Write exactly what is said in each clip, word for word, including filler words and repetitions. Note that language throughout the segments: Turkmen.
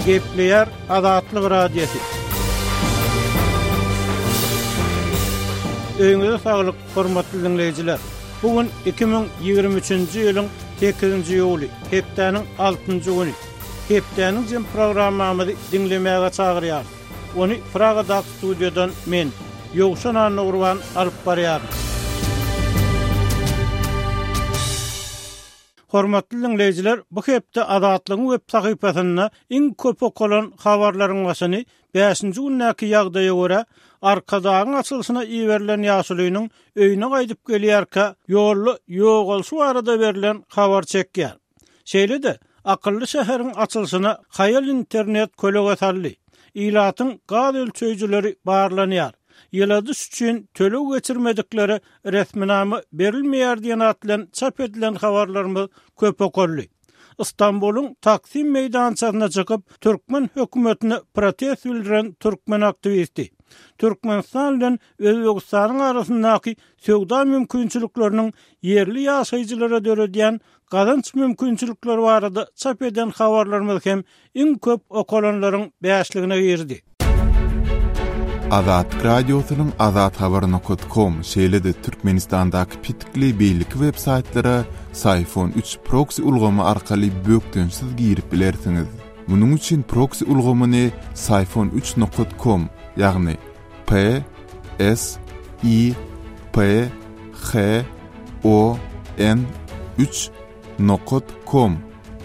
Gepleýär Azatlyk Radiosy. Öýüňize saglyk, hormatly dinleýjiler. Bu gün iki müň ýigrimi üçünji ýylyň sekizinji iýuly, hepdäniň altynjy güni. Hepdäniň jem programmamyzy diňlemäge çagyrýarys. Ony Pragadaky studiýadan men, Ýowşan Annagurban alyp barýaryn. Hormatly dinleýjiler, bu hepde Azatlygyň web sahypasynda iň köp okalan habarlaryň başyny bäşinji gündäki ýagdaýa görä Arkadagyň açylyşyna iberilen ýaşulynyň öýüne gaýdyp gelýärkä ýolda ýogalşy barada berlen habar çekýär. Şeýle-de akylly şäheriň açylyşyna haýal internet kölege saldy. Ilatyň gaz ölçeýjileri barlanýar. Ýyladyş üçin töleg geçirmediklere resminama berilmeýär diýen at bilen çap edilen habarlarymyz köp okaldy. Istanbulyň Taksim meýdançasyna çykyp, türkmen hökümetine protest bildiren türkmen aktiwisti. Türkmenistan bilen Özbegistanyň arasyndaky söwda mümkinçilikleriniň ýerli ýaşaýjylara döredýän gazanç mümkinçilikleri barada çap eden habarlarymyz hem iň köp okalanlaryň bäşligine girdi. Azatlyk Radiosynyň Azat Habar nokta com, şeýle-de Türkmenistandaky pitikli beýleki web saýtlara Syfon üç proxy ulgamy arkaly bökdençsiz girip bilersiňiz. Munuň üçin proxy ulgamyny Syfon üç nokta com, ýagny P S I P H O N üç nokta com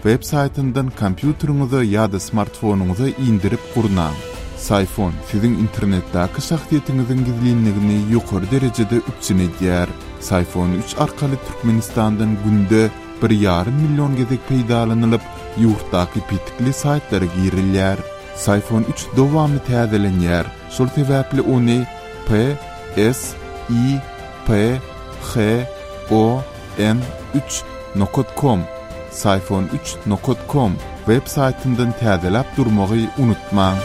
web saýtyndan kompýuteriňize ýa-da smartfonyňyza indirip gurnaň. Syfon siziň internetdäki şahsyýetiňiziň gizlinligini ýokary derejede üpjün edýär. Syfon üç arkaly Türkmenistandan günde bir ýarym million gezek peýdalanylyp, ýurtdaky pitikli saýtlara girilýär. Syfon üç dowamly täzelenýär. Şol sebäpli ony P S I P H O N üç nokta com, Syfon üç nokta com web saýtyndan täzeläp durmagy unutmaň.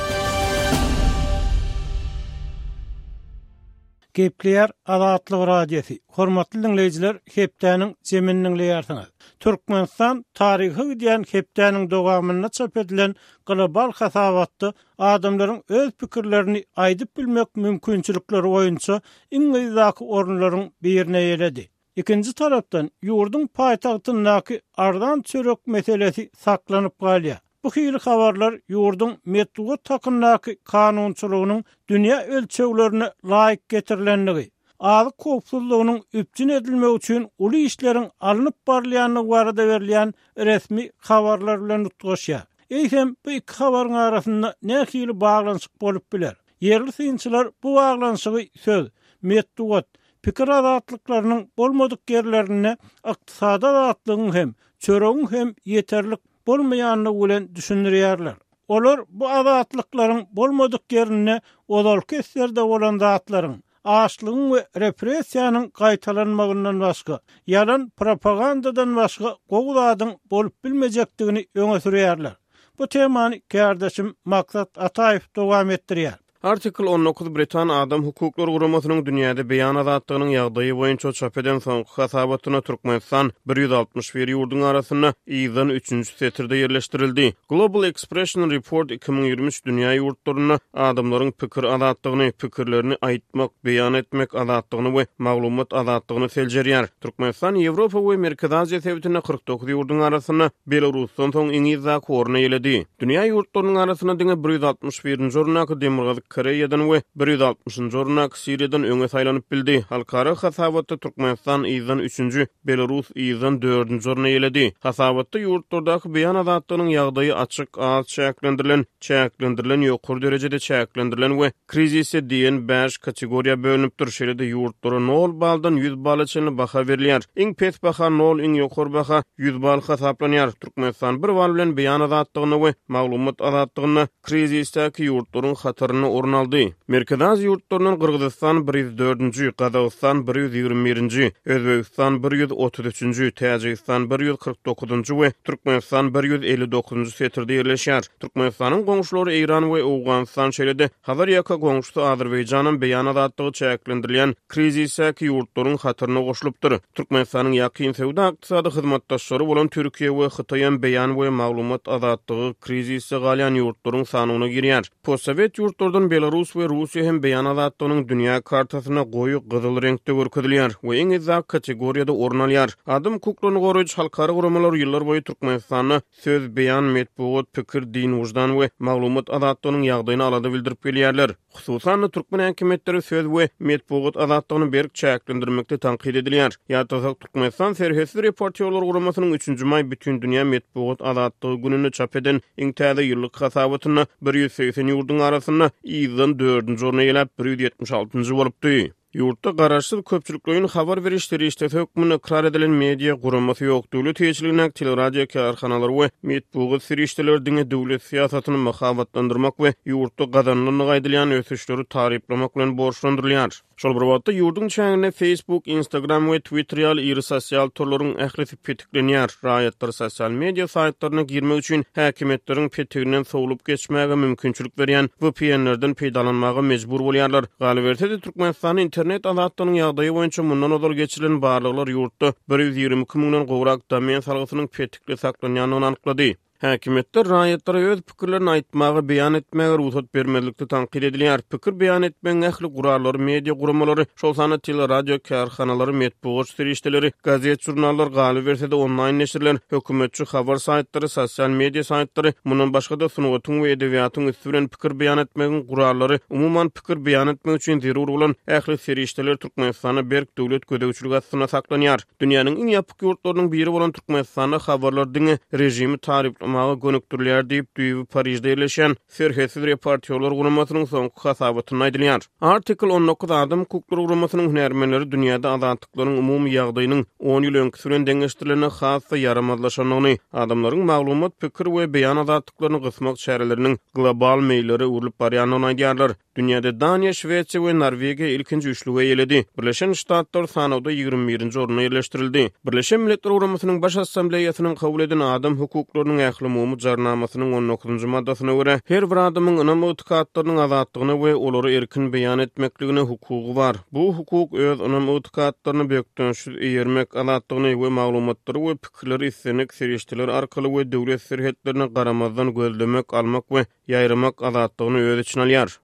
Gepleýär Azatlyk Radiosy. Hormatly dinleýjiler, hepdäniň jemini dinleýärsiňiz. Türkmenistan taryhy gidýän hepdäniň dowamynda çap edilen global hasabatda adamlaryň öz pikirlerini aýdyp bilmek mümkinçilikleri boýunça iň yzdaky orunlaryň birine eýeledi. Ikinji tarapdan ýurduň paýtagtyndaky arzan çörek meselesi saklanyp galýar. Bu hili habarlar ýurduň metbugat hakyndaky kanunçylygynyň dünýä ölçeglerine laýyk getirilendigi, azyk howpsuzlygynyň üpjün edilmegi üçin uly işleriň alnyp barylýandygy barada berilýän resmi habarlar bilen utgaşýar. Eýsem, bu iki habaryň arasynda nähili baglanyşyk bolup biler? Ýerli synçylar bu baglanyşygy söz, metbugat, pikir azatlyklarynyň bolmadyk ýerlerinde ykdysady azatlygyň hem, çöregiň hem ýeterlik bolmaýandygy bilen düşündirýärler. Olar bu azatlyklaryň bolmadyk ýerinde ozalky eslerde bolan zatlaryň, açlygyň we repressiýanyň gaýtalanmagyndan başga, ýalan propagandadan başga gowy zadyň bolup bilmejekdigini öňe sürýärler. Bu temany kärdeşim Maksat Ataýew dowam etdirýär. Artikel on dokuz Britan Adam Hukuklary Guramasynyň dünýäde beýan azatlygynyň ýagdaýy boýunça çap eden soňky hasabatyna Türkmenistan bir ýüz altmyş bir ýurduň arasynda yzdan üçünji setirde ýerleşdirildi. Global Expression Report iki müň ýigrimi üç dünýä ýurtlarynda adamlaryň pikir azatlygyny, pikirlerini aýtmak, beýan etmek azatlygyny we maglumat azatlygyny seljerýär. Türkmenistan Ýewropa we Merkezi Aziýa sebitinde kyrk dokuz ýurduň arasynda Belarusdan soň iň yzdaky orny eýeledi. Dünýä ýurtlarynyň arasynda diňe bir ýüz altmyş birinji orundaky Demirgazyk Koreýadan we bir ýüz altmyşynjy orundaky Siriýadan öňe saýlanyp bildi. Halkara hasabatda Türkmenistan yzdan üçünji, Belarus yzdan dördünji orny eýeledi. Hasabatda ýurtlardaky beýan azatlygynyň ýagdaýy açyk, az çäklendirilen, çäklendirilen, ýokary derejede çäklendirilen we krizise diýen bäş kategoriýa bölünipdir. Şeýle-de ýurtlara nol baldan ýüz bala çenli baha berilýär. Iň pes baha nol, iň ýokary baha ýüz bal hasaplanýar. Türkmenistan bir bal bilen beýan azatlygynda we maglumat azatlygynda krizisdäki ýurtlaryň hatarynda orun orun aldy. Merkezi Aziýa ýurtlaryndan Gyrgyzystan bir ýüz dördünji, Gazagystan bir ýüz ýigrimi birinji, Özbegistan bir ýüz otuz üçünji, Täjigistan bir ýüz kyrk dokuzynjy we Türkmenistan bir ýüz elli dokuzynjy setirde ýerleşýär. Türkmenistanyň goňşulary Eýran we Owganystan, şeýle-de Hazar ýaka goňşusy Azerbaýjanam beýan azatlygy çäklendirilýän krizisdäki ýurtlaryň hataryna goşulypdyr. Türkmenistanyň ýakyn söwda-ykdysady hyzmatdaşlary bolan Türkiýe we Hytaýam beýan we maglumat azatlygy krizisde galýan ýurtlaryň sanyna girýär. Postsowet ýurtlardan Belarus we Russiýa hem beýan azatlygynyň dünýä kartasynda goýy gyzyl reňkde görkezilýär we iň yzdaky kategoriýada orun alýar. Adam hukuklaryny goraýjy halkara guramalar ýyllar boýy Türkmenistanda söz, beýan, metbugat, pikir, din, wyždan we maglumat azatlygynyň ýagdaýyny alada bildirip gelýärler. Hususan-da, türkmen häkimiýetleri söz we metbugat azatlygyny berk çäklendirmekde tankyt edilýär. Ýatlasak, Türkmenistan Serhetsiz reportýorlar guramasynyň üçünji maý Bütindünýä metbugat azatlygy gününde çap eden iň täze ýyllyk hasabatynda bir ýüz segsen ýurduň arasynda yzdan dördünji orny eýeläp, bir ýüz ýetmiş altynjy bolupdy. Ýurtda garaşsyz köpçülikleýin habar beriş serişdesi hökmünde ykrar edilen media guramasy ýok. Döwlet eýeçiligindäki teleradio kärhanalary we metbugat serişdeleri diňe döwlet syýasatyny mahabatlandyrmak we ýurtda gazanylandygy aýdylýan ösüşleri taryplamak bilen borçlandyrylýar. Şol bir wagtda, ýurduň çäginde Facebook, Instagram we Twitter ýaly iri sosial torlaryň ählisi petiklenýär. Raýatlar sosial media saýtlaryna girmek üçin häkimiýetleriň petiginden sowlup geçmäge mümkinçilik berýän V P N-lerden peýdalanmaga mejbur bolýarlar. Galyberse-de, Türkmenistanda internet azatlygynyň ýagdaýy boýunça mundan ozal geçirilen barlaglar ýurtda bir ýüz ýigrimi iki müňden gowrak domen salgysynyň petikli saklanýandygyny anyklady. Häkimiýetler raýatlara öz pikirlerini aýtmaga, beýan etmäge rugsat bermezlikde tankyt edilýär. Pikir beýan etmegiň ähli gurallary, media guramalary, şol sanda teleradio kärhanalary, metbugat serişdeleri, gazet, žurnallar, galyberse-de onlaýn neşirler, hökümetçi habar saýtlary, sosial media saýtlary, mundan başga-da sungatyň we edebiýatyň üsti bilen pikir beýan etmegiň gurallary, umuman pikir beýan etmek üçin zerur bolan ähli serişdeler Türkmenistanda berk döwlet gözegçiligi astynda saklanýar. Dünýäniň iň ýapyk ýurtlarynyň biri bolan Türkmenistanda habarlar diňe režimi taryplamaga gönükdirilýär diýip, düýbi Parižde ýerleşýän Serhetsiz reportýorlar guramasynyň soňky hasabatynda aýdylýar. Article on dokuz adam hukuklary guramasynyň hünärmenleri dünýäde azatlyklaryň umumy ýagdaýynyň on ýyl öňküsi bilen deňeşdirilende has-da ýaramazlaşandygyny, adamlaryň maglumat, pikir we beýan azatlyklaryny gysmak çäreleriniň global meýillere öwrülip barýandygyny aýdýarlar. Dünýäde Daniýa, Şwesiýa we Norwegiýa ilkinji üçlüge eýeledi. Birleşen Ştatlar sanawda ýigrimi birinji orunda ýerleşdirildi. Birleşen Milletler Guramasynyň Baş Assambleýasynyň kabul eden adam hukuklarynyň ählumumy jarnamasynyň on dokuzynjy maddasyna görä, her bir adamyň ynam ygtykatlarynyň azatlygyna we olary erkin beýan etmekligine hukugy bar. Bu hukuk öz ynam ygtykatlaryny bökdençsiz eýermek azatlygyny we maglumatlary we pikirleri islendik serişdeler arkaly we döwlet serhetlerine garamazdan gözlemek, almak we ýaýramak azatlygyny öz içine alýar.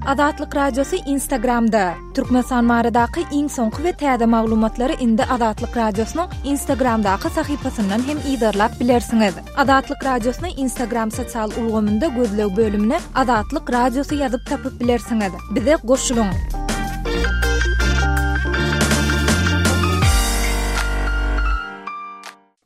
Azatlyk Radiosy Instagramda. Türkmenistan baradaky iň soňky we täze maglumatlary indi Azatlyk Radiosynyň Instagramdaky sahypasyndan hem yzarlap bilersiňiz. Azatlyk Radiosyny Instagram sosial ulgamynda gözleg bölümine Azatlyk Radiosy ýazyp tapyp bilersiňiz. Bize goşulyň.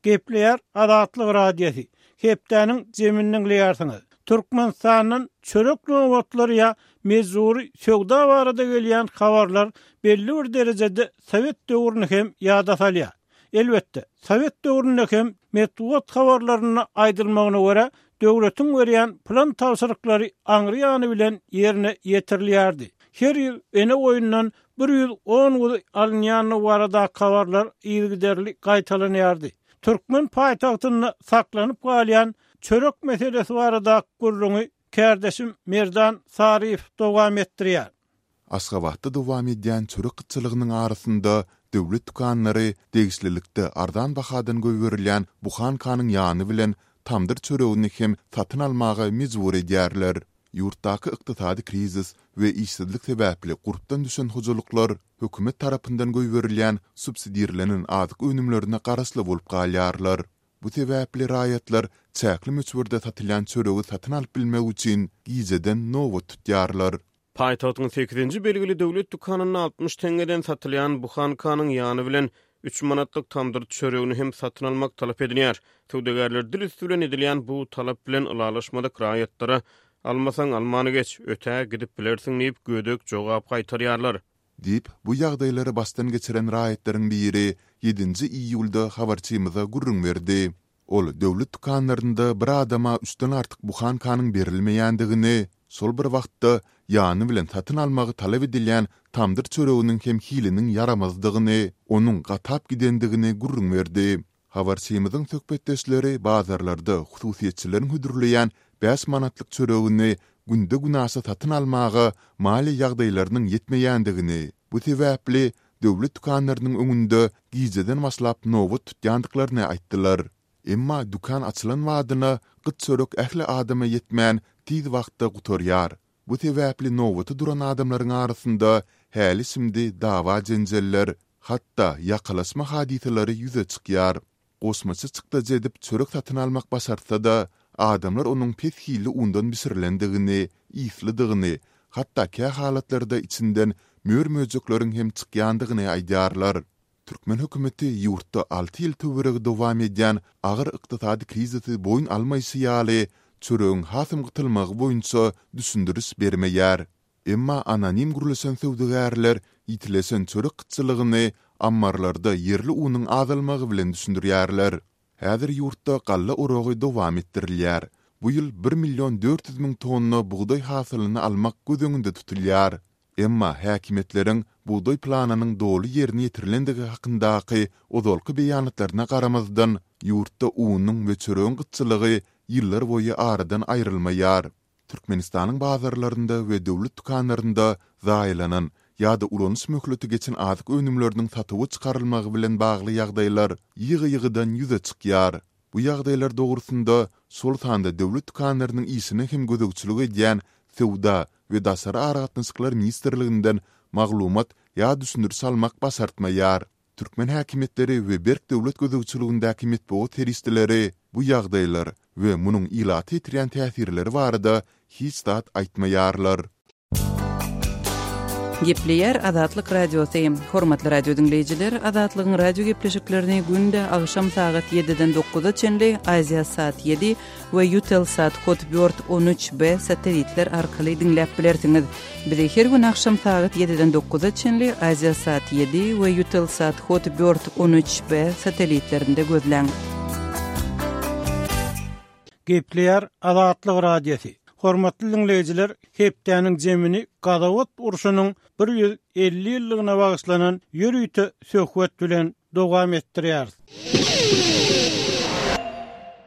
Gepleýär Azatlyk Radiosy. Hepdäniň zemini diňleýärsiňiz. Türkmenistandan çörek nobatlary ýa mejburi söwda barada gelýän habarlar belli bir derejede Sowet döwrüni hem ýada salýar. Elbetde, Sowet döwründe hem metbugat habarlarynda aýdylmagyna görä döwletiň berýän plan tabşyryklary aňry ýany bilen ýerine ýetirilýärdi. Her ýyl ene goýundan bir ýüz on guzy alynýandygy barada habarlar yzygiderli gaýtalanýardy. Türkmen paýtagtynda saklanyp galýan çörek meselesi barada gürrüňi kärdeşim Merdan Saryýew dowam etdirýär. Aşgabatda dowam edýän çörek gytçylygynyň arasynda döwlet dükanlary degişlilikde arzan bahadan goýberilýän buhankanyň ýany bilen tamdyr çöregini hem satyn almaga mejbur edýärler. Ýurtdaky ykdysady krizis we işsizlik sebäpli gurpdan düşen hojalyklar hökümet tarapyndan goýberilýän subsidirlenen azyk önümlerine garaşly bolup galýarlar. Bu sebäpli raýatlar çäkli möçberde satylýan çöregi satyn alyp bilmek üçin gijeden nobat tutýarlar. Paýtagtyň sekizinji belgili döwlet dükanynda altmyş teňňeden satylýan buhankanyň ýany bilen üç manatlyk tamdyr çöregini hem satyn almak talap edilýär. Söwdagärler dil üstü bilen edilýän bu talap bilen ylalaşmadyk raýatlara almasaň almany geç, ötä gidip bilersiň diýip gödek jogap gaýtarýarlar. Diýip, bu ýagdaýlary başdan geçiren raýatlaryň biri ýedinji iýulda habarçymyza gürrüň berdi. Ol döwlet dükanlarynda bir adama üçden artyk buhankanyň berilmeýändigini, şol bir wagtda ýany bilen satyn almagy talap edilýän tamdyr çöreginiň hem hiliniň ýaramazdygyny, onuň gatap gidendigini gürrüň berdi. Habarçymyzyň söhbetdeşleri bazarlarda hususyýetçileriň hödürleýän bäş manatlyk çöregini günde-günaşa satyn almaga maliýe ýagdaýlarynyň ýetmeýändigini, bu sebäpli döwlet dükanlarynyň öňünde gijeden başlap nobat tutýandyklaryny aýtdylar. Emma dükan açylan badyna gyt çörek ähli adama ýetmän, tiz wagtda gutarýar. Bu sebäpli nobata duran adamlaryň arasynda häli-şindi dawa-jenjeller, hatda ýakalaşma hadysalary ýüze çykýar. Goşmaça çykdajy edip çörek satyn almak başartsa-da, adamlar onuň pes hilli undan bişirilendigini, yslydygyny, hatda kä halatlarda içinden mör-möjekleriň hem çykýandygyny aýdýarlar. Türkmen hökümeti ýurtda alty ýyl töweregi dowam edýän agyr ykdysady krizisi boýun almaýşy ýaly, çöregiň hasam gytylmagy boýunça düşündiriş bermeýär. Emma anonim gürleşen söwdagärler ýitileşen çörek gytçylygyny ammarlarda ýerli unuň azalmagy bilen düşündirýärler. Häzir ýurtda galla oragy dowam etdirilýär. Bu ýyl bir million dört ýüz müň tonna bugdaý hasylyny almak göz öňünde tutulýar. Emma häkimiýetleriň bugdaý planynyň doly ýerine ýetirilendigi hakyndaky ozalky beýanatlaryna garamazdan, ýurtda unuň we çöregiň gytçylygy ýyllarboýy aradan aýrylmaýar. Türkmenistanyň bazarlarynda we döwlet dükanlarynda zaýalanan ýa-da ulanyş möhleti geçen azyk önümleriniň satuwa çykarylmagy bilen bagly ýagdaýlar ýygy-ýygydan ýüze çykýar. Bu ýagdaýlar dogrusynda, şol sanda döwlet dükanlarynyň işine hem gözegçilik edýän Söwda we daşary aragatnaşyklar ministrliginden maglumat ýa düşündiriş almak başartmaýar. Türkmen häkimiýetleri we berk döwlet gözegçiligindäki metbugat serişdeleri bu ýagdaýlar we munuň ilata ýetirýän täsirleri barada hiç zat aýtmaýarlar. Gepleýär Azatlyk Radiosy. Hormatly radio diňleýjiler, Azatlygyň radio gepleşiklerini günde agşam sagat ýediden dokuza çenli Aziasat ýedi we Eutelsat Hotbird on üç B satellitler arkaly diňläp bilersiňiz. Bizi her gün agşam sagat ýediden dokuza çenli Aziasat ýedi we Eutelsat Hotbird on üç B satellitlerinde gözläň. Gepleýär Azatlyk Radiosy. Hormatly diňleýjiler, hepdäniň jemini Gazawat urşunyň bir ýüz elli ýyllygyna bagyşlanan ýörite söhbet bilen dowam etdirýäris.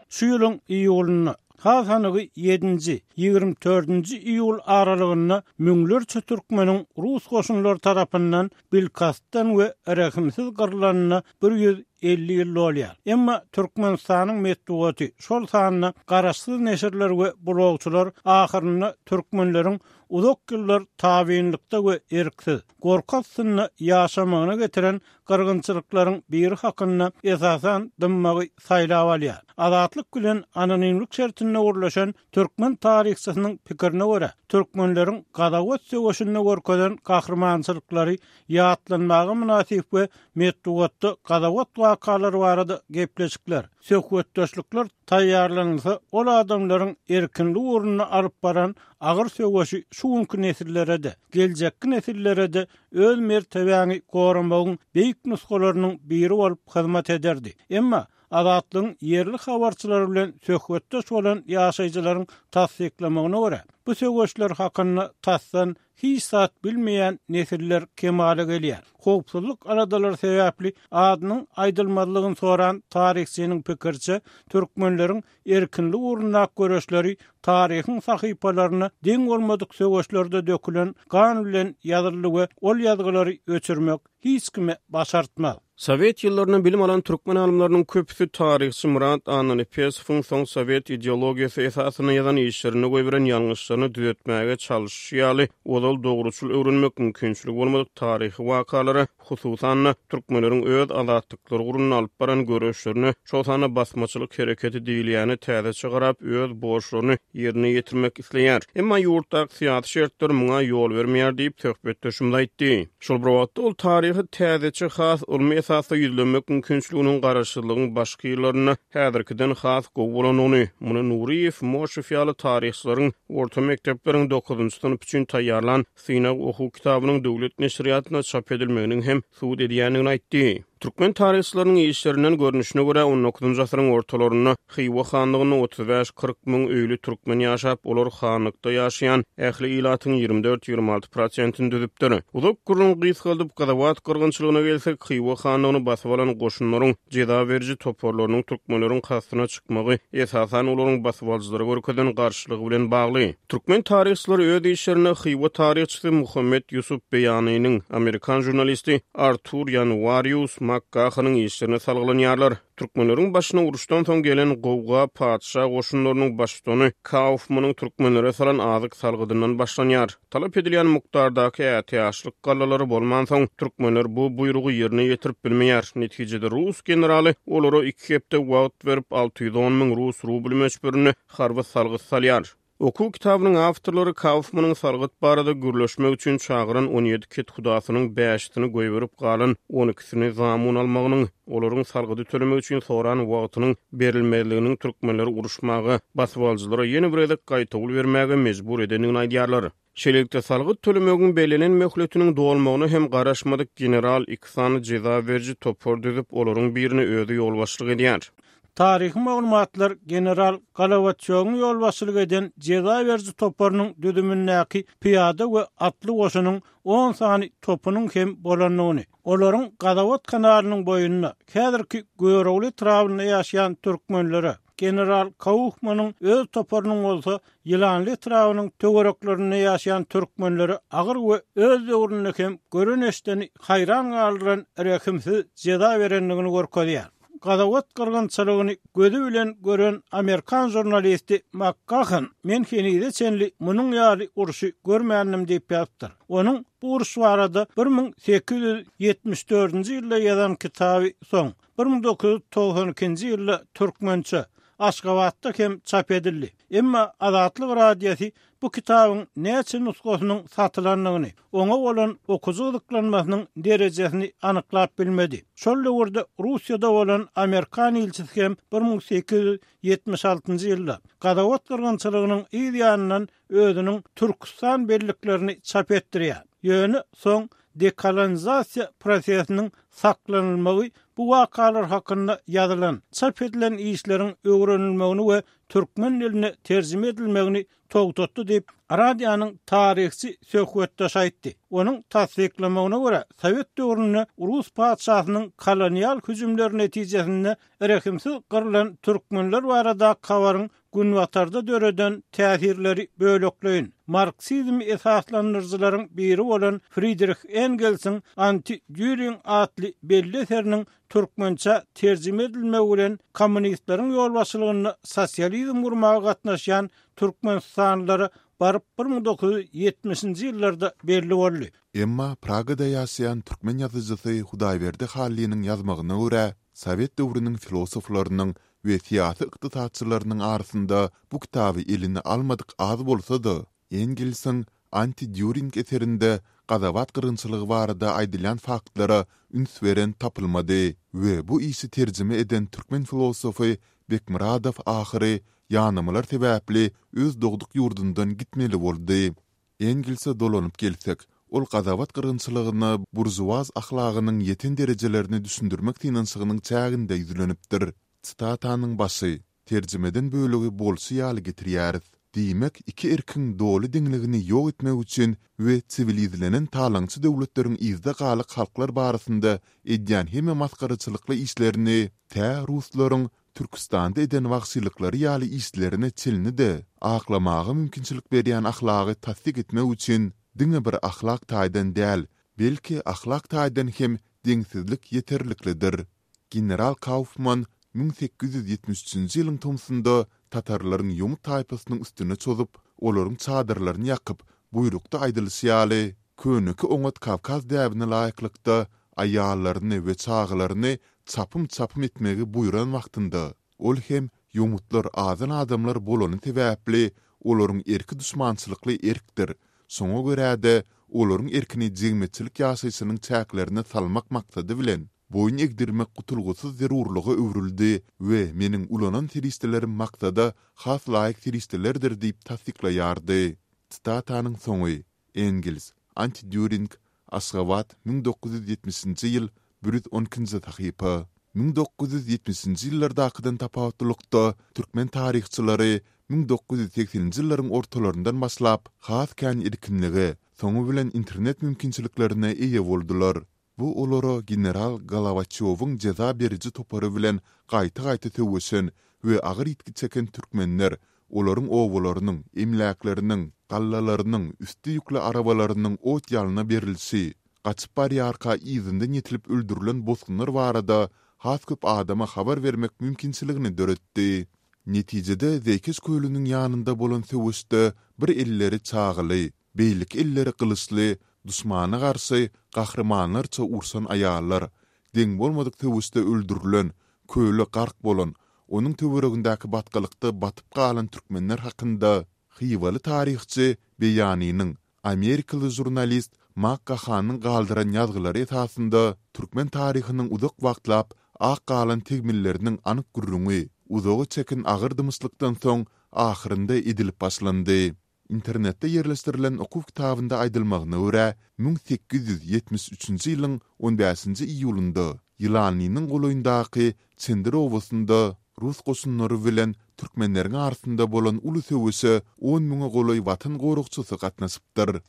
Şu ýylyň iýulynda, has anygy ýedinji, ýigrimi dördünji iýul aralygynda müňlerçe türkmeniň rus goşunlary tarapyndan bilkastdan we rehimsiz gyrylanyna bir ýüz elli ýyl bolýar. Emma Türkmenistanyň metbugaty, şol sanda garaşsyz neşirler we blogçylar ahyrynda türkmenleriň uzak ýyllar tabynlykda we erksiz, gorky astynda ýaşamagyna getiren gyrgynçylyklaryň biri hakynda esasan dymmagy saýlap alýar. Azatlyk bilen anonimlik şertinde gurlaşan türkmen taryhçysynyň pikirine görä, türkmenleriň Gazawat söweşinde görkezen gahrymançylyklary ýatlanmaga mynasyp we metbugatda Gazawat wakalary barada gepleşikler, söhbetdeşlikler taýýarlanylsa, ol adamlaryň erkinlik ugrunda alyp baran agyr söweşi şu günki nesillere-de, geljekki nesillere-de öz mertebäňi goramagyň beýik nusgalarynyň biri bolup hyzmat ederdi. Emma Azatlygyň ýerli habarçylary bilen söhbetdeş bolan ýaşaýjylaryň tassyklamagyna görä, bu söweşler hakynda tasdan hiç zat bilmeýän nesiller kemala gelýär. Howpsuzlyk aladalary sebäpli adynyň aýdylmazlygyny soran taryhçynyň pikiriçe, türkmenleriň erkinlik ugrundaky göreşleri taryhyň sahypalaryna deň bolmadyk söweşlerde dökülen gan bilen ýazyldy we ol ýazgylary öçürmek hiç kime başartmaz. Sowet ýyllarynda bilim alan türkmen alymlarynyň köpüsi taryhçy Myrat Annanepesowuň soň sowet ideologiýasy esasynda ýazan işlerinde goýberen ýalňyşlaryny düzetmäge çalyşy ýaly, ozal dogruçyl öwrenmek mümkinçiligi bolmadyk taryhy wakalara, hususan-da türkmenleriň öz azatlyklary ugrunda alyp baran göreşlerine, şol sanda basmaçylyk hereketi diýilýäni täzeçe garap, öz borçlaryny ýerine ýetirmek isleýär. Emma ýurtdaky syýasy şertler muňa ýol bermeýär diýip söhbetdeşimiz aýtdy. Şol bir wagtda ol taryhy täzeçe has ylmy esasda ýüzlenmek mümkinçiliginiň garaşsyzlygyň başky ýyllarynda häzirkiden has gowy bolanyny, muny Nuriýew, Moşew ýaly taryhçylaryň orta mekdepleriň dokuzynjy synp üçin taýýarlan synag okuw kitabynyň döwlet neşirýatynda çap edilmeginiň hem subut edýändigini aýtdy. Türkmen taryhçylarynyň işlerinden görnüşine görä, on dokuzynjy asyryň ortalarynda Hywa hanlygynda otuz bäş-kyrk müň öýli türkmen ýaşap, olar hanlykda ýaşaýan ähli ilatyň ýigrimi dört-ýigrimi alty prosentini düzüpdir. Uzak gürrüň gysgaldyp, Gazawat gyrgynçylygyna gelsek, Hywa hanlygyny basyp alan goşunlaryň jeza beriji toparlarynyň türkmenleriň kastyna çykmagy esasan olaryň basybalyjylara görkezen garşylygy bilen bagly. Türkmen taryhçylary öz işlerinde Hywa taryhçysy Muhammet Ýusup Beýanynyň, amerikan žurnalisti Artur Ýanuarius Makgahanyň işlerine salgylanýarlar. Türkmenleriň başyna uruşdan soň gelen gowga patyşa goşunlarynyň baştutany Kaufmanyň türkmenlere salan azyk salgydyndan başlanýar. Talap edilýän mukdardaky ätiýaçlyk gallalary bolmansoň, türkmenler bu buýrugy ýerine ýetirip bilmeýär. Netijede rus generaly olara iki hepde wagt berip alty ýüz on müň rus rubl möçberinde harby salgyt salýar. Okuw kitabynyň awtorlary Kaufmanyň salgyt barada gürleşmek üçin çagyran on ýedi kethudasynyň bäşisini goýberip galan on ikisini zamun almagynyň, olaryň salgydy tölemek üçin soran wagtynyň berilmezliginiň türkmenleri uruşmaga, basybalyjylara ýene bir gezek gaýtawul bermäge mejbur edendigini aýdýarlar. Şeýlelikde salgyt tölemegiň bellenen möhletiniň dolmagyna hem garaşmadyk general iki sany jeza beriji topar düzüp, olaryň birini özi ýolbaşçylyk edýär. Taryhy maglumatlar general Golowaçýowyň ýolbaşçylyk eden jeza beriji toparynyň düzümindäki pyýada we atly goşunyň on sany topunyň hem bolandygyny, olaryň Gazawat kanalynyň boýunda häzirki Görogly etrabynda ýaşaýan türkmenlere, general Kaufmanyň öz toparynyň bolsa Ýylanly etrabynyň töwereklerinde ýaşaýan türkmenlere agyr we öz döwründe hem gören eşdeni haýran galdyran rehimsiz jeza berendigini görkezýär. Gazawat gyrgynçylygyny gözi bilen gören amerikan žurnalisti Makgahan men henize çenli munuň ýaly urşy görmändim diýip ýazypdyr. Onuň bu uruş barada bir müň sekiz ýüz ýetmiş dördünji ýylda ýazan kitaby soň bir müň dokuz ýüz togsan ikinji ýylda türkmençe Aşgabatda hem çap edildi. Emma Azatlyk Radiosy bu kitabyň näçe nusgasynyň satylandygyny, oňa bolan okyjy gyzyklanmasynyň derejesini anyklap bilmedi. Şol döwürde Russiýada bolan Amerikan ilçisi hem bir müň sekiz ýüz ýetmiş altynjy ýylda Gazawat gyrgynçylygynyň yz ýanyndan özüniň Türküstan belliklerini çap etdirýär. Ýöne soň dekolonizasiýa prosesiniň saklanylmagy bu wakalar hakynda ýazylan, çap edilen işleriň öwrenilmegini we türkmen diline terjime edilmegini togtatdy diýip, radionyň taryhçy söhbetdeşi aýtdy. Onuň tassyklamagyna görä, Sowet döwründe Rus patyşasynyň kolonial hüjümleri netijesinde rehimsiz gyrlan türkmenler barada habaryň günbatarda döreden täsirleri bölekleýin. Marksizm esaslandyryjylaryň biri bolan Friedrich Engelsiň Anti-Düring atly belli eseriniň türkmençe terjime edilmegi bilen kommunistleriň ýolbaşçylygynda sosializm gurmaga gatnaşýan Türkmenistanlylara baryp bir müň dokuz ýüz ýetmişinji ýyllarda belli boldy. Emma Pragada ýaşaýan türkmen ýazyjysy Hudaýberdi Hallynyň ýazmagyna görä, Sowet döwrüniň filosoflarynyň we syýasy ykdysatçylarynyň arasynda bu kitaby eline almadyk az bolsa-da, Engelsiň Anti-Düring eserinde Gazawat gyrgynçylygy barada aýdylýan faktlara üns beren tapylmady we bu işi terjime eden türkmen filosofy Bekmyradow ahyry ýanamalar sebäpli öz dogduk ýurdundan gitmeli boldy. Engelse dolanyp gelsek, ol Gazawat gyrgynçylygyna buržuaz ahlagynyň ýeten derejelerini düşündirmek synanyşygynyň çäginde ýüzlenipdir. Sitatanyň başy, terjimeden bölegi bolşy ýaly getirýäris. Diýmek, iki erkiň doly deňligini ýok etmek üçin we siwilizlenen talaňçy döwletleriň yzda galyk halklar barasynda edýän hemme masgaraçylykly işlerini tä ruslaryň Türküstanda eden wagşylyklary ýaly işlerine çenli-de aklamaga mümkinçilik berýän ahlagy tassyk etmek üçin diňe bir ahlak taýdan däl, belki ahlak taýdan hem deňsizlik ýeterliklidir. General Kaufman müň sekiz ýüz ýetmiş üçünji ýylyň tomsunda tatarlaryň ýomut taýpasynyň üstüne çozup, olaryň çadyrlaryny ýakyp, buýrukda aýdylyşy ýaly, köneki oňat Kawkaz däbine laýyklykda aýallaryny we çagalaryny çapym-çapym etmegi buýran wagtynda, ol hem ýomutlar azan adamlar bolany sebäpli olaryň erki duşmançylykly erkdir, şoňa görä-de olaryň erkini jemgyýetçilik ýaşaýşynyň çäklerine salmak maksady bilen boýun egdirmek gutulgysyz zerurlyga öwrüldi we meniň ulanan serişdelerim maksada has laýyk serişdelerdir diýip tassyklaýardy. Sitatanyň soňy. Engels, Anti-Düring, Aşgabat, müň dokuz ýüz ýetmişinji ýyl, bir ýüz on ikinji sahypa. Müň dokuz ýüz ýetmişinji ýyllardakydan tapawutlylykda, türkmen taryhçylary müň dokuz ýüz segseninji ýyllaryň ortalaryndan başlap has kän erkinlige, soňy bilen internet mümkinçiliklerine eýe boldular. Bu olara general Golowaçýowyň jeza beriji topary bilen gaýta-gaýta söweşen we agyr ýitgi çeken türkmenler, olaryň obalarynyň, emläkleriniň, gallalarynyň, üsti ýükli arabalarynyň ot-ýalna berilişi, gaçyp barýarka yzyndan ýetilip öldürilen bosgunlar barada has köp adama habar bermek mümkinçiligini döretdi. Netijede Zeýkeş kölüniň ýanynda bolan söweşde bir elleri çagaly, beýleki elleri gylyçly duşmana garşy gahrymanlarça urşan aýallar, deň bolmadyk söweşde öldürilen, köle gark bolan, onuň töweregindäki batgalykda batyp galan türkmenler hakynda hywaly taryhçy Beýanynyň, amerikaly žurnalist Mak Gahanyň galdyran ýazgylary esasynda türkmen taryhynyň uzak wagtlap ak galan tegmilleriniň anyk gürrüňi, uzaga çeken agyr dymyşlykdan soň ahyrynda edilip başlandy. Internetde ýerleşdirilen okuw kitabynda aýdylmagyna görä, müň sekiz ýüz ýetmiş üçünji ýylyň on bäşinji iýulynda Ýylanlynyň golaýyndaky Çendir obasynda rus goşunlary bilen türkmenleriň arasynda bolan uly söweşe on müňe golaý watan goragçysy gatnaşypdyr.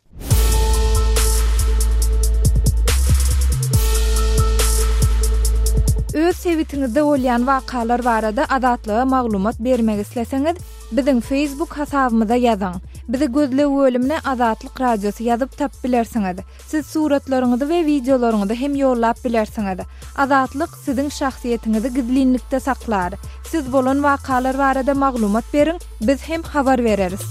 Öz sebitiňizde bolýan wakalar barada Azatlyga maglumat bermek isleseňiz, biziň Facebook hasabymyza ýazyň. Bizi gözleg bölümine Azatlyk Radiosy ýazyp tap bilersiňiz. Siz suratlaryňyzy we wideolaryňyzy hem ýollap bilersiňiz. Azatlyk siziň şahsyýetiňizi gizlinlikde saklar. Siz bolan wakalar barada maglumat beriň, biz hem habar bereris.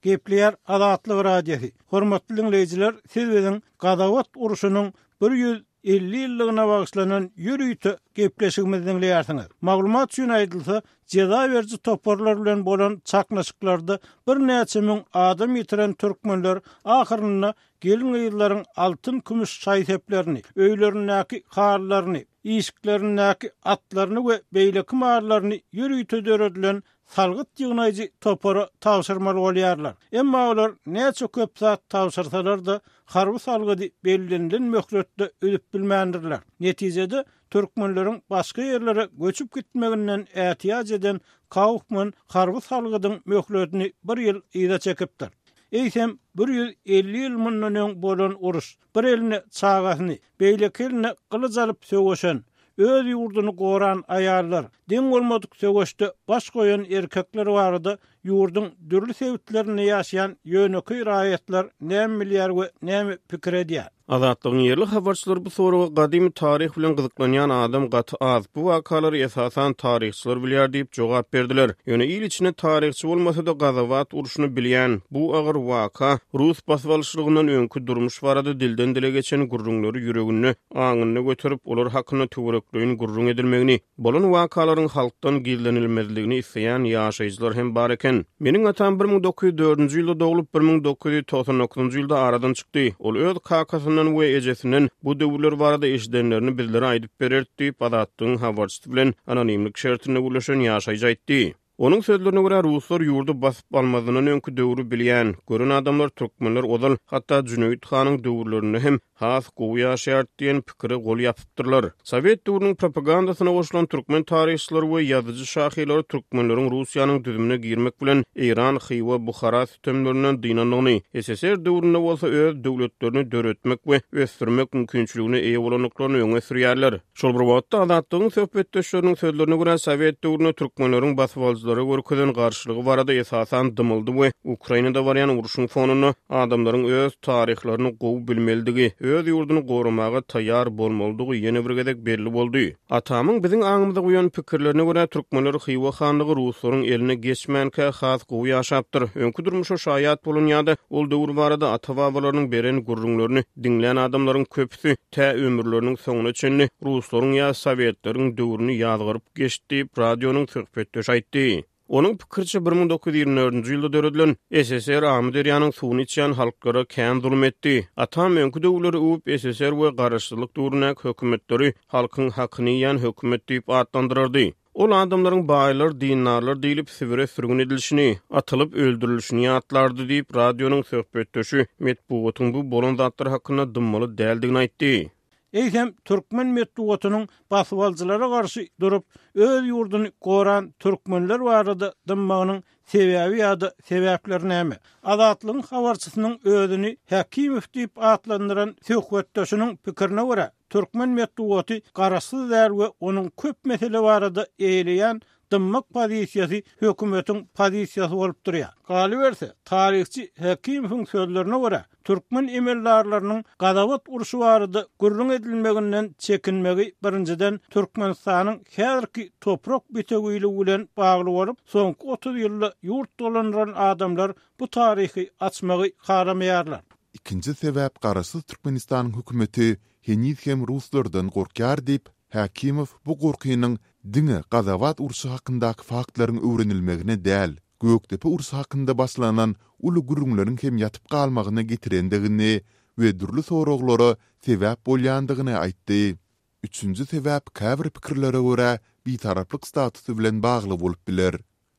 Gepleýär Azatlyk Radiosy. Hormatly dinleýjiler, siz biziň Gazawat urşunyň bir ýüz elli ýyllygyna bagyşlanan ýörite gepleşigimizi dinleýärsiňiz. Maglumat üçin aýdylsa, jeza beriji toparlar bilen bolan çaknyşyklarda birnäçe müň adam ýitiren türkmenler ahyrynda gelin-gyzlaryň altyn kümüş şaý-seplerini, öýlerindäki halylaryny, işiklerindäki atlaryny we beýleki mallaryny ýörite döredilen salgyt ýygnaýjy topara tabşyrmaly bolýarlar. Emma olar näçe köp zat tabşyrsalar-da harby salgydy bellenilen möhletde üzüp bilmändirler. Netijede türkmenleriň başga ýerlere göçüp gitmeginden ätiýaç eden Kaufman harby salgydyň möhletini bir ýyl yza çekipdir. Eýsem bir ýüz elli ýyl mundan öň bolan uruş, bir eline çagasyny, beýleki eline gylyç alyp söweşen, öz ýurduny goran aýallar, deň bolmadyk söweşde baş goýan erkekler barada ýurduň dürli sebitlerinde ýaşaýan ýönekeý raýatlar näme bilýär we näme pikir edýär? Azatlygyň ýerli habarçylary bu soraga gadymy taryh bilen gyzyklanýan adam gaty az, bu wakalary esasan taryhçylar bilýär diýip jogap berdiler. Ýöne il içinde taryhçy bolmasa-da Gazawat urşuny bilýän, bu agyr waka rus basybalyşlygyndan öňki durmuş barada dilden dile geçen gürrüňleri ýüreginde, aňynda göterip, olar hakynda töwerekleýin gürrüň edilmegini, bolan wakalaryň halkdan gizlenilmezligini isleýän ýaşaýjylar hem bar eken. Meniň atam bir müň dokuz ýüz dördünji ýylda doglup, bir müň dokuz ýüz togsan dokuzynjy ýylda aradan çykdy. Ol öz kakasyndan we ejesinden bu döwürler barada eşidenlerini bizlere aýdyp bererdi diýip, Azatlygyň habarçysy bilen anonimlik şertinde gürleşen ýaşaýjy aýtdy. Onuň sözlerine görä, ruslar ýurdy basyp almazyndan öňki döwri bilýän, gören adamlar türkmenler ozal, hatda Jüneýit hanyň döwürlerinde hem has gowy ýaşaýardy diýen pikire gol ýapypdyrlar. Sowet döwrüniň propagandasyna goşulan türkmen taryhçylary we ýazyjy şahyrlary türkmenleriň Russiýanyň düzümine girmek bilen Eýran, Hywa, Buhara sütemlerinden dynandygyny, S S R döwründe bolsa öz döwletlerini döretmek we ösdürmek mümkinçiligine eýe bolandyklaryny öňe sürýärler. Şol bir wagtda Azatlygyň söhbetdeşleriniň sözlerine görä, Sowet döwründe türkmenleriň basybalyjylara görkezen garşylygy barada esasan dymyldy we Ukrainada barýan urşuň fonunda adamlaryň öz taryhlaryny gowy bilmelidigi, öz ýurduny goramaga taýýar bolmalydygy ýene bir gezek belli boldy. Atamyň biziň aňymyza goýan pikirlerine görä, türkmenler Hywa hanlygy ruslaryň eline geçmänkä has gowy ýaşapdyr. Öňki durmuşa şaýat bolan ýa-da ol döwür barada ata-babalarynyň beren gürrüňlerini diňlän adamlaryň köpüsi tä ömürleriniň soňuna çenli ruslaryň ýa sowetleriň döwrüni ýazgaryp geçdi diýip, radionyň söhbetdeşi aýtdy. Onuň pikirçe bir müň dokuz ýüz ýigrimi dördünji ýylda döredilen S S R Amyderýanyň suwuny içýän halklara kän zulum etdi. Atam öňki döwürleri öwüp S S R we garaşsyzlyk döwründäki hökümetleri halkyň hakyny iýen hökümet diýip atlandyrardy. Ol adamlaryň baýlar, dindarlar diýlip Sibire sürgün edilişini, atylyp öldürilişini ýatlardy diýip, radionyň söhbetdeşi metbugatyň bu bolan zatlar hakynda dymmaly däldigini aýtdy. Eýsem türkmen metbugatynyň basybalyjylara garşy durup, öz ýurduny goran türkmenler barada dymmagynyň sebäbi ýa-da sebäpleri näme? Azatlygyň habarçysynyň özüni Hakimow diýip atlandyran söhbetdeşiniň pikirine görä, türkmen metbugaty garaşsyz däl we onuň köp mesele barada eýeleýän dymmak pozisiýasy hökümetiň pozisiýasy bolup durýar. Galyberse, taryhçy Hakimowyň sözlerine görä, türkmen emeldarlarynyň Gazawat urşy barada gürrüň edilmeginden çekinmegi birinjiden Türkmenistanyň häzirki toprak bitewiligi bilen bagly bolup, soňky otuz ýylda ýurt dolandyran adamlar bu taryhy açmagy halamaýarlar. Ikinji sebäp garaşsyz Türkmenistanyň hökümeti heniz hem ruslardan gorkýar diýip, Hakimow bu gorkynyň diňe Gazawat urşy hakyndaky faktlaryň öwrenilmegine däl, Gökdepe urşy hakynda başlanan uly gürrüňleriň hem ýatyp galmagyna getirendigini we dürli soraglara sebäp bolýandygyny aýtdy. Üçünji sebäp käbir pikirlere görä bitaraplyk statusy bilen bagly bolup biler.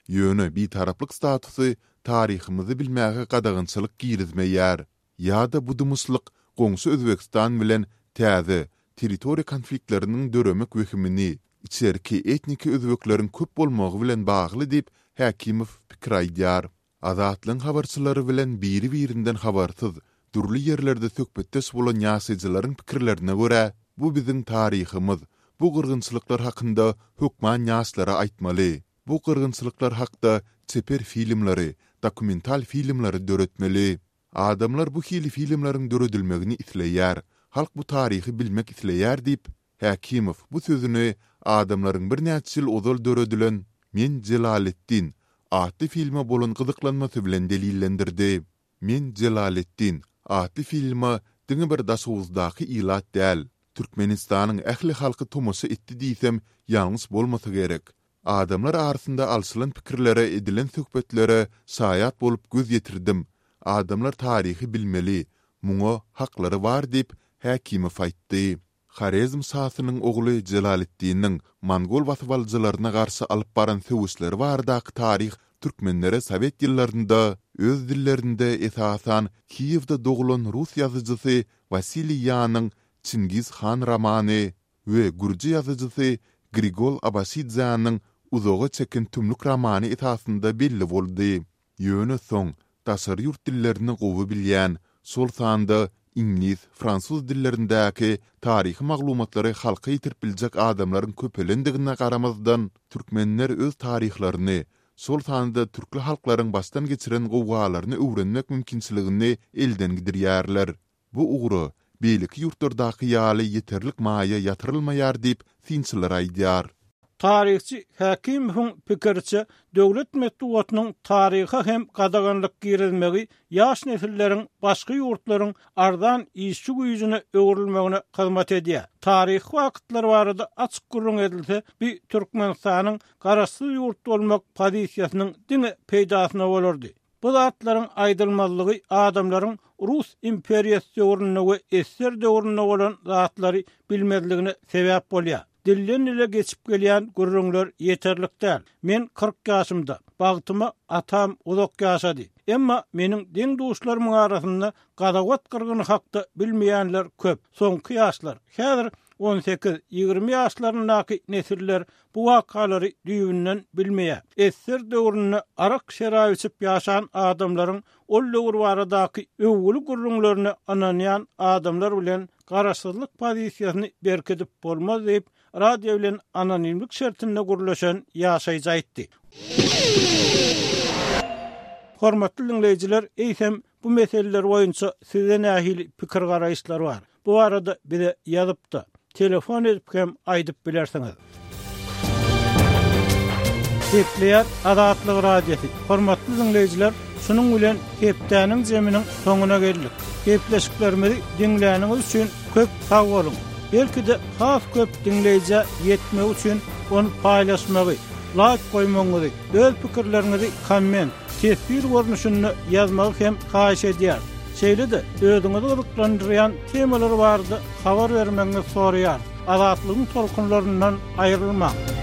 Ýöne bitaraplyk statusy taryhymyzy bilmäge gadagançylyk girizmeýär. Ýa-da bu dymyşlyk goňşy Özbegistan bilen täze territoriýa konfliktleriniň döremek wehimini, içerki etniki özbekleriň köp bolmagy bilen bagly diýip, Hakimow pikir aýdýar. Azatlygyň habarçylary bilen biri-birinden habarsyz, dürli ýerlerde söhbetdeş bolan ýaşaýjylaryň pikirlerine görä, bu biziň taryhymyz, bu gyrgynçylyklar hakynda hökman ýaşlara aýtmaly. Bu gyrgynçylyklar hakda çeper filmleri, dokumental filmleri döretmeli. Adamlar bu hili filmleriň döredilmegini isleýär, halk bu taryhy bilmek isleýär diýip, Hakimow bu sözüni adamlaryň birnäçe ýyl ozal döredilen Men Jelaleddin atly filme bolan gyzyklanmasy bilen delillendirdi. Men Jelaleddin atly filme diňe bir Daşoguzdaky ilat däl, Türkmenistanyň ähli halky tomaşa etdi diýsem ýalňyş bolmasa gerek. Adamlar arasynda alşylan pikirlere, edilen söhbetlere şaýat bolup göz ýetirdim. Adamlar taryhy bilmeli, muňa haklary bar diýip, Hakimow aýtdy. Horezm şasynyň ogly Jelaleddiniň mongol basybalyjylaryna garşy alyp baran söweşleri baradaky taryh türkmenlere sowet ýyllarynda öz dillerinde esasan Kiýewde doglan rus ýazyjysy Wasiliý Ýanyň Çingiz han romany we gürji ýazyjysy Grigol Abaşidzäniň Uzaga çeken tümlük romany esasynda belli boldy. Ýöne soň daşary ýurt dillerini gowy bilýän, şol sanda iňlis, fransuz dillerindäki taryhy maglumatlary halka ýetirip biljek adamlaryň köpelendigine garamazdan, türkmenler öz taryhlaryny, şol sanda türkli halklaryň başdan geçiren gowgalaryny öwrenmek mümkinçiligini elden gidirýärler. Bu ugra beýleki ýurtlardaky ýaly ýeterlik maýa ýatyrylmaýar diýip, synçylar aýdýar. Taryhçy Hakimowyň pikiriçe, döwlet metbugatynyň taryha hem gadaganlyk girizmegi ýaş nesilleriň başga ýurtlaryň arzan işçi güýjüne öwrülmegine hyzmat edýär. Taryhy wagtlar barada açyk gürrüň edilse, bi Türkmenistanyň garaşsyz ýurt bolmak pozisiýasynyň diňe peýdasyna bolardy. Bu zatlaryň aýdylmazlygy adamlaryň Rus imperiýasy döwründe we S S S R döwründe bolan zatlary bilmezligine sebäp bolýar. Dilden dile geçip gelýän gürrüňler ýeterlik däl. Men kyrk ýaşymda, bagtyma atam uzak ýaşady. Emma meniň deň duşlarymyň arasynda Gazawat gyrgyny hakda bilmeýänler köp. Soňky ýaşlar, häzir on sekiz, ýigrimi ýaşlaryndaky nesiller bu wakalary düýbünden bilmeýär. S S S R döwründe arak şerap içip ýaşan adamlaryň ol döwür baradaky öwgüli gürrüňlerine ynanýan adamlar bilen garaşsyzlyk pozisiýasyny berkidip bolmaz diýip, radio bilen anonimlik şertinde gürleşen ýaşaýjy aýtdy. Hormatly dinleýjiler, eýsem bu meseleler boýunça size nähili pikir garaýyşlar bar? Bu arada bize ýazyp-da, telefon edip hem aýdyp bilersiňiz. Gepleýär Azatlyk Radiosy. Hormatly dinleýjiler, şunuň bilen hepdäniň zeminiň soňuna geldik. Gepleşiklerimizi diňläniňiz üçin köp sag boluň. Belki-de has köp dinleýjä ýetmek üçin ony paýlaşmagy, like goýmagyňyzy, öz pikirleriňizi komment, teswir görnüşinde ýazmagy hem haýyş edýär. Şeýle-de özüňizi gyzyklandyrýan temalar barada habar bermegiňizi soraýar. Azatlygyň tolkunlaryndan aýrylmaň.